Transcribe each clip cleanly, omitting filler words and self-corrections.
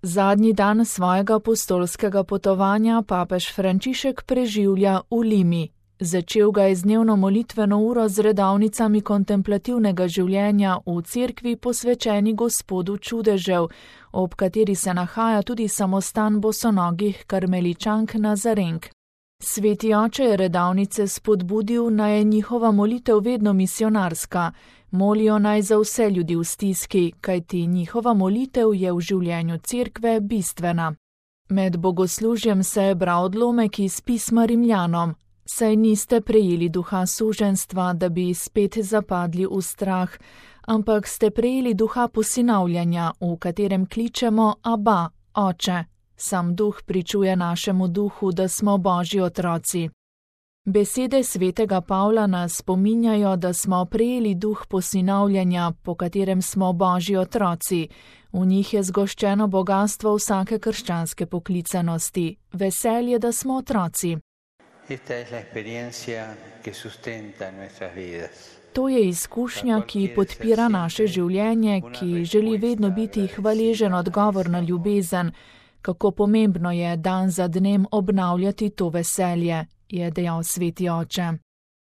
Zadnji dan svojega apostolskega potovanja papež Frančišek preživlja v Limi. Začel ga je z dnevno molitveno uro z redovnicami kontemplativnega življenja v cerkvi posvečeni Gospodu čudežev, ob kateri se nahaja tudi samostan bosonogih karmeličank Nazarenk. Sveti oče je redovnice spodbudil, naj je njihova molitev vedno misionarska. Molijo naj za vse ljudi v stiski, kajti njihova molitev je v življenju cerkve bistvena. Med bogoslužjem se je bral odlomek iz pisma Rimljanom. Saj niste prejeli duha suženjstva, da bi spet zapadli v strah, ampak ste prejeli duha posinavljanja, v katerem kličemo Aba, Oče. Sam duh pričuje našemu duhu, da smo Božji otroci. Besede svetega Pavla nas spominjajo, da smo prejeli duh posinavljanja, po katerem smo Božji otroci. V njih je zgoščeno bogastvo vsake krščanske poklicanosti, veselje, da smo otroci. To je izkušnja, ki podpira naše življenje, ki želi vedno biti hvaležen odgovor na ljubezen. Kako pomembno je dan za dnem obnavljati to veselje, je dejal sveti oče.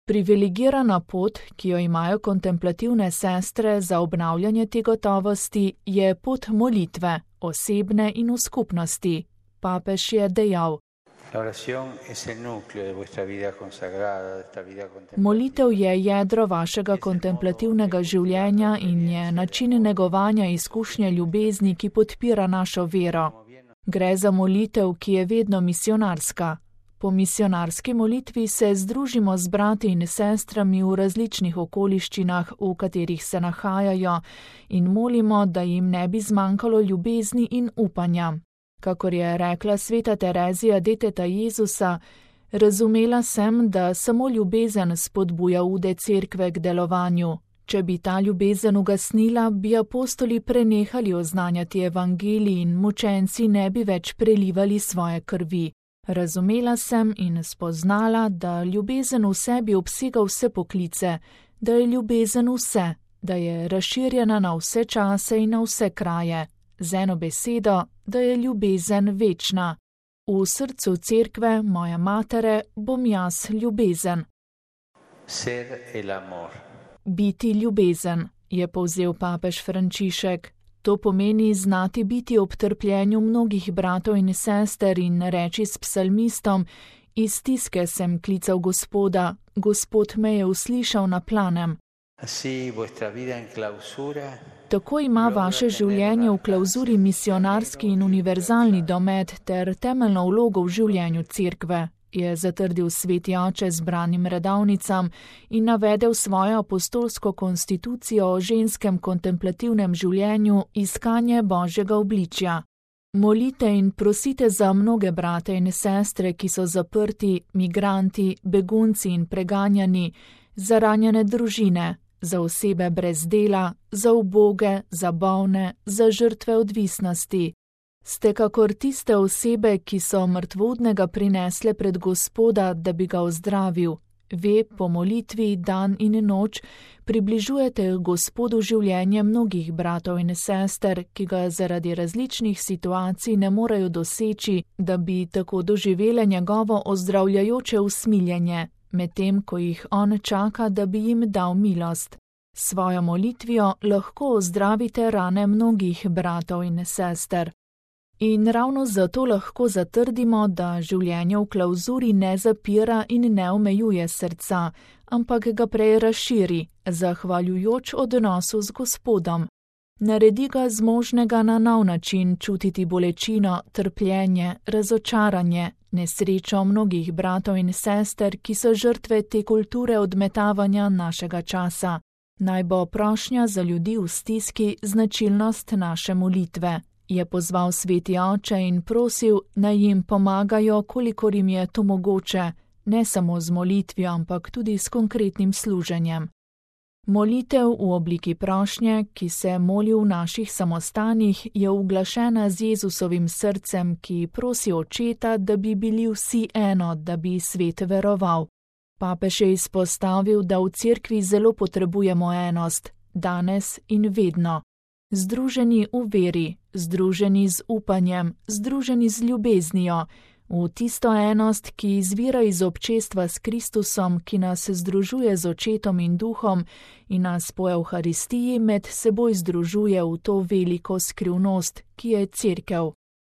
Privilegirana pot, ki jo imajo kontemplativne sestre za obnavljanje te gotovosti, je pot molitve, osebne in v skupnosti. Papež je dejal: Molitev je jedro vašega kontemplativnega življenja in je način negovanja izkušnje ljubezni, ki podpira našo vero. Gre za molitev, ki je vedno misionarska. Po misionarski molitvi se združimo z brati in sestrami v različnih okoliščinah, v katerih se nahajajo, in molimo, da jim ne bi zmanjkalo ljubezni in upanja. Kakor je rekla sveta Terezija deteta Jezusa, razumela sem, da samo ljubezen spodbuja ude cerkve k delovanju. Če bi ta ljubezen ugasnila, bi apostoli prenehali oznanjati evangelij in mučenci ne bi več prelivali svoje krvi. Razumela sem in spoznala, da ljubezen v sebi obsega vse poklice, da je ljubezen vse, da je razširjena na vse čase in na vse kraje. Z eno besedo, da je ljubezen večna. V srcu cerkve, moja matere, bom jaz ljubezen. Biti ljubezen, je povzel papež Frančišek. To pomeni znati biti ob trpljenju mnogih bratov in sester in reči s psalmistom: iz stiske sem klical Gospoda, Gospod me je uslišal na planem. Tako ima vaše življenje v klauzuri misionarski in univerzalni domet ter temeljno vlogo v življenju cerkve, je zatrdil sveti oče zbranim redovnicam in navedel svojo apostolsko konstitucijo o ženskem kontemplativnem življenju iskanje Božjega obličja. Molite in prosite za mnoge brate in sestre, ki so zaprti, migranti, begunci in preganjani, za ranjene družine, za osebe brez dela, za uboge, za bolne, za žrtve odvisnosti. Ste kakor tiste osebe, ki so mrtvudnega prinesle pred Gospoda, da bi ga ozdravil. Ve, po molitvi dan in noč približujete Gospodu življenje mnogih bratov in sester, ki ga zaradi različnih situacij ne morejo doseči, da bi tako doživele njegovo ozdravljajoče usmiljenje, medtem ko jih on čaka, da bi jim dal milost. Svojo molitvijo lahko ozdravite rane mnogih bratov in sester. In ravno zato lahko zatrdimo, da življenje v klauzuri ne zapira in ne omejuje srca, ampak ga prej razširi, zahvaljujoč odnosu z Gospodom. Naredi ga zmožnega na nov način čutiti bolečino, trpljenje, razočaranje, nesrečo mnogih bratov in sester, ki so žrtve te kulture odmetavanja našega časa. Naj bo prošnja za ljudi v stiski značilnost naše molitve. Je pozval sveti oče in prosil, naj jim pomagajo, kolikor jim je to mogoče, ne samo z molitvijo, ampak tudi s konkretnim služenjem. Molitev v obliki prošnje, ki se moli v naših samostanih, je uglašena z Jezusovim srcem, ki prosi očeta, da bi bili vsi eno, da bi svet veroval. Papež je izpostavil, da v cerkvi zelo potrebujemo enost, danes in vedno. združeni v veri, združeni z upanjem, združeni z ljubeznijo, v tisto enost, ki izvira iz občestva s Kristusom, ki nas združuje z Očetom in Duhom in nas po Evharistiji med seboj združuje v to veliko skrivnost, ki je Cerkev.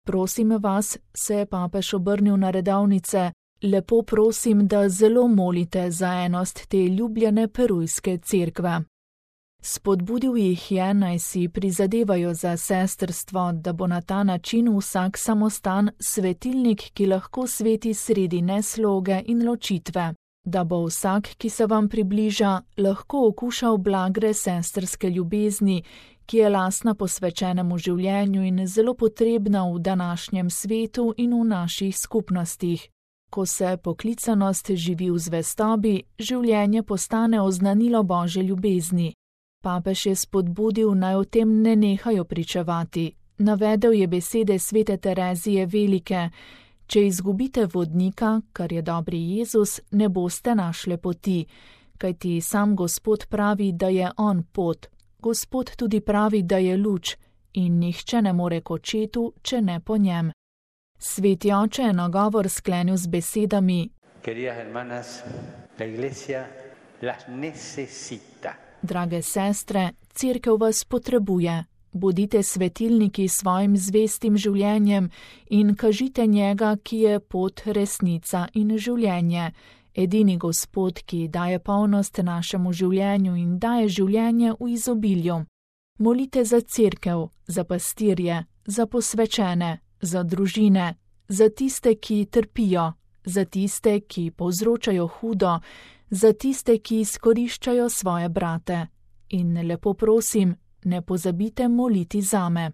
Prosim vas, se je papež obrnil na redovnice, lepo prosim, da zelo molite za enost te ljubljene perujske cerkve. Spodbudil jih je, naj si prizadevajo za sestrstvo, da bo na ta način vsak samostan svetilnik, ki lahko sveti sredi nesloge in ločitve, da bo vsak, ki se vam približa, lahko okušal blagre sestrske ljubezni, ki je lastna posvečenemu življenju in zelo potrebna v današnjem svetu in v naših skupnostih. Ko se poklicanost živi v zvestobi, življenje postane oznanilo Božje ljubezni. Papež je spodbudil, naj o tem ne nehajo pričevati. Navedel je besede svete Terezije Velike: če izgubite vodnika, kar je dobri Jezus, ne boste našle poti, kajti sam Gospod pravi, da je on pot. Gospod tudi pravi, da je luč, in nihče ne more k Očetu, če ne po njem. Sveti oče je nagovor sklenil z besedami: Queridas hermanas, la iglesia las necesita. Drage sestre, Cerkev vas potrebuje. Bodite svetilniki svojim zvestim življenjem in kažite njega, ki je pot, resnica in življenje. Edini Gospod, ki daje polnost našemu življenju in daje življenje v izobilju. Molite za Cerkev, za pastirje, za posvečene, za družine, za tiste, ki trpijo, za tiste, ki povzročajo hudo, za tiste, ki izkoriščajo svoje brate. In lepo prosim, ne pozabite moliti zame.